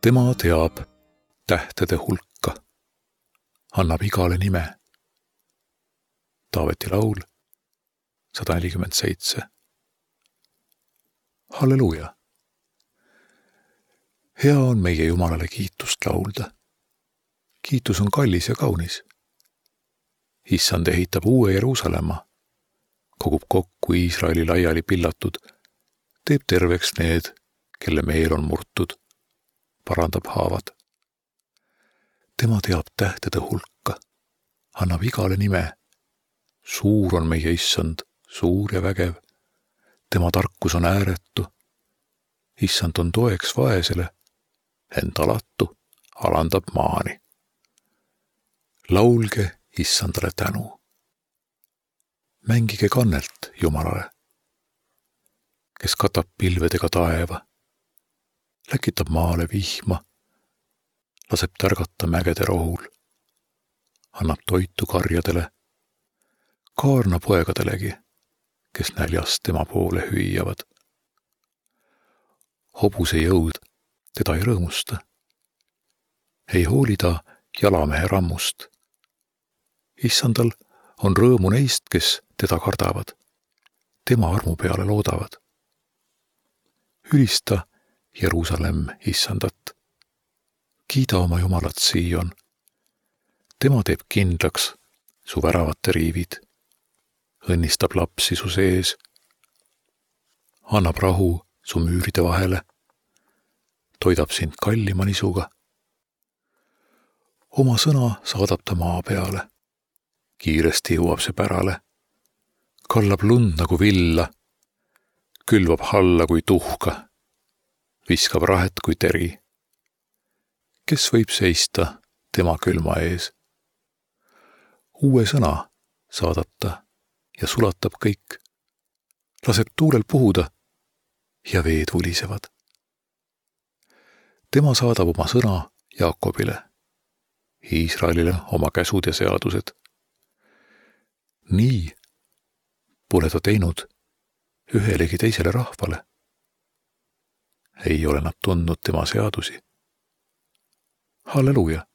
Tema teab tähtede hulka, annab igale nime. Taaveti laul 147. Halleluuja! Hea on meie Jumalale kiitust laulda. Kiitus on kallis ja kaunis. Issand ehitab uue Jeruusalemma, kogub kokku Iisraeli laiali pillatud, teeb terveks need, kelle meel on murtud, parandab haavad. Tema teab tähtede hulka, annab igale nime. Suur on meie Issand, suur ja vägev. Tema tarkus on ääretu. Issand on toeks vaesele, ent alatu alandab maani. Laulge Issandale tänu. Mängige kannelt Jumalale, kes katab pilvedega taeva, läkitab maale vihma, laseb tärgata mägede rohul, annab toitu karjadele, kaarna poegadelegi, kes näljas tema poole hüüavad. Hobuse jõud teda ei rõõmusta, ei hooli ta jalamehe rammust. Issandal on rõõmu neist, kes teda kardavad, tema armu peale loodavad. Ülista Jeruusalemm Issandat. Kiida oma Jumalat Siion. Tema teeb kindlaks su väravate riivid, õnnistab lapsi su sees, annab rahu su müüride vahele, toidab sind kallima nisuga. Oma sõna saadab ta maa peale, kiiresti jõuab see pärale, kallab lund nagu villa, külvab halla kui tuhka, viskab rahet kui teri. Kes võib seista tema külma ees? Uue sõna saadab ta ja sulatab kõik, laseb tuulel puhuda ja veed vulisevad. Tema saadab oma sõna Jaakobile, Iisraelile oma käsud ja seadused. Nii pole ta teinud ühelegi teisele rahvale. Ei ole nad tundnud tema seadusi. Halleluuja!